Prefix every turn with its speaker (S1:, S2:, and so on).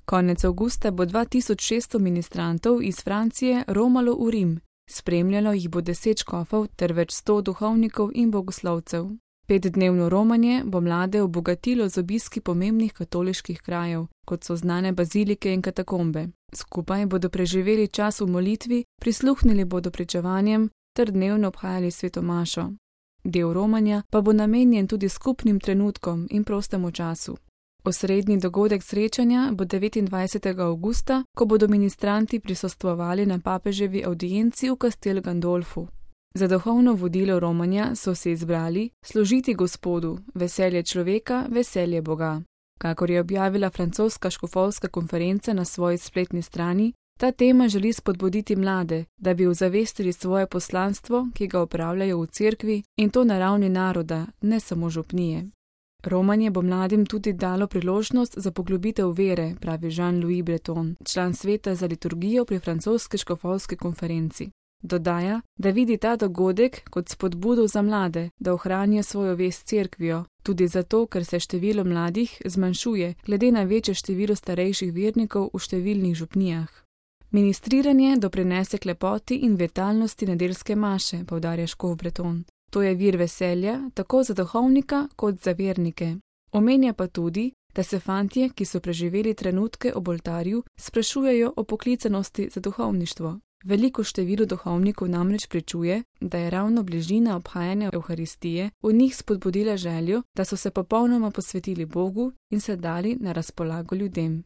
S1: Konec avgusta bo 2600 ministrantov iz Francije romalo v Rim. Spremljalo jih bo 10 škofov ter več 100 duhovnikov in bogoslovcev. 5-dnevno romanje bo mlade obogatilo z obiski pomembnih katoliških krajev, kot so znane bazilike in katakombe. Skupaj bodo preživeli čas v molitvi, prisluhnili bodo pričevanjem ter dnevno obhajali sveto mašo. Del romanja pa bo namenjen tudi skupnim trenutkom in prostemu času. Osrednji dogodek srečanja bo 29. avgusta, ko bodo ministranti prisostvovali na papeževi avdienci v Castel Gandolfu. Za duhovno vodilo romanja so se izbrali služiti Gospodu, veselje človeka, veselje Boga. Kakor je objavila francoska škofovska konferenca na svoji spletni strani, ta tema želi spodbuditi mlade, da bi ozavestili svoje poslanstvo, ki ga opravljajo v cerkvi, in to na ravni naroda, ne samo župnije. Romanje bo mladim tudi dalo priložnost za poglobitev vere, pravi Jean-Louis Breton, član sveta za liturgijo pri francoski škofovski konferenci. Dodaja, da vidi ta dogodek kot spodbudo za mlade, da ohranijo svojo vest cerkvijo, tudi zato, ker se število mladih zmanjšuje glede na večje število starejših vernikov v številnih župnijah. Ministriranje doprinese k lepoti in vitalnosti nedeljske maše, poudarja škof Breton. To je vir veselja tako za duhovnika kot za vernike. Omenja pa tudi, da se fantje, ki so preživeli trenutke ob oltarju, sprašujejo o poklicanosti za duhovništvo. Veliko število duhovnikov namreč pričuje, da je ravno bližina obhajanja Evharistije v njih spodbudila željo, da so se popolnoma posvetili Bogu in se dali na razpolago ljudem.